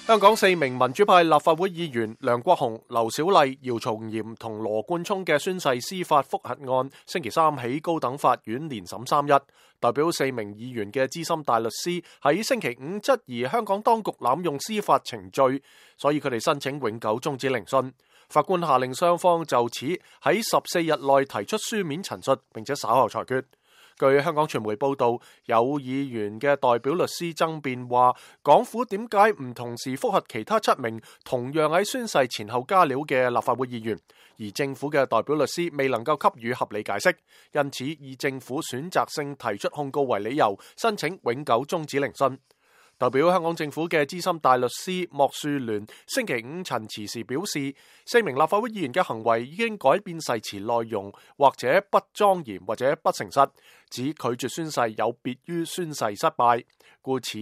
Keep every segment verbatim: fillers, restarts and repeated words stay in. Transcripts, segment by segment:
香港四名民主派立法會議員梁國雄、劉小麗、姚松炎同羅冠聰嘅宣誓司法覆核案，星期三喺高等法院連審三日。代表四名議員嘅資深大律師喺星期五質疑香港當局濫用司法程序，所以佢哋申請永久終止聆訊。法官下令雙方就此喺十四日內提出書面陳述，並且稍後裁決。據香港傳媒報道，有議員嘅代表律師爭辯話，港府點解唔同時覆核其他七名同樣喺宣誓前後加料嘅立法會議員，而政府嘅代表律師未能夠給予合理解釋，因此以政府選擇性提出控告為理由，申請永久終止聆訊。代表香港政府嘅資深大律師莫樹聯星期五陳詞時表示，四名立法會議員嘅行為已經改變誓詞內容，或者不莊嚴或者不誠實，指拒絕宣誓有別於宣誓失敗，故此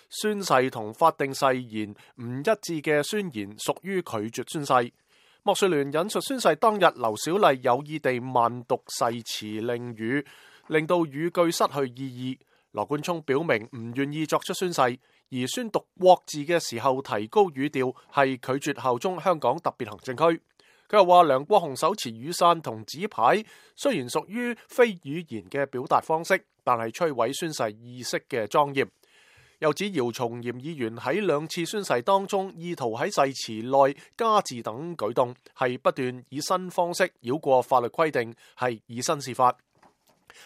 宣誓同法定誓言唔一致嘅宣言屬於拒絕宣誓。莫樹聯引述宣誓當日劉小麗有意地慢讀誓詞令語，令到語句失去意義。羅冠聰表明唔願意作出宣誓，而宣讀國字嘅時候提高語調係拒絕效忠香港特別行政區。佢又話梁國雄手持雨傘同紙牌，雖然屬於非語言嘅表達方式，但係摧毀宣誓意識嘅莊嚴。又指姚松炎議員喺兩次宣誓當中，意圖喺誓詞內加字等舉動，係不斷以新方式繞過法律規定，係以身試法。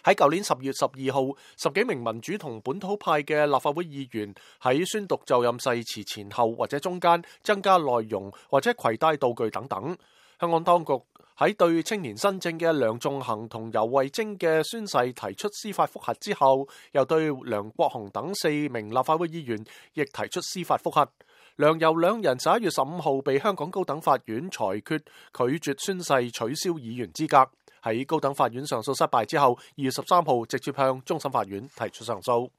喺舊年十月十二號，十幾名民主同本土派嘅立法會議員喺宣讀就任誓詞前後或者中間增加內容或者攜帶道具等等。香港當局喺對青年新政嘅梁頌恆同游蕙禎嘅宣誓提出司法覆核之後，又對梁國雄等四名立法會議員亦提出司法覆核。梁游兩人十一月十五號被香港高等法院裁決拒絕宣誓，取消議員資格。喺高等法院上訴失敗之後，二月十三號直接向終審法院提出上訴。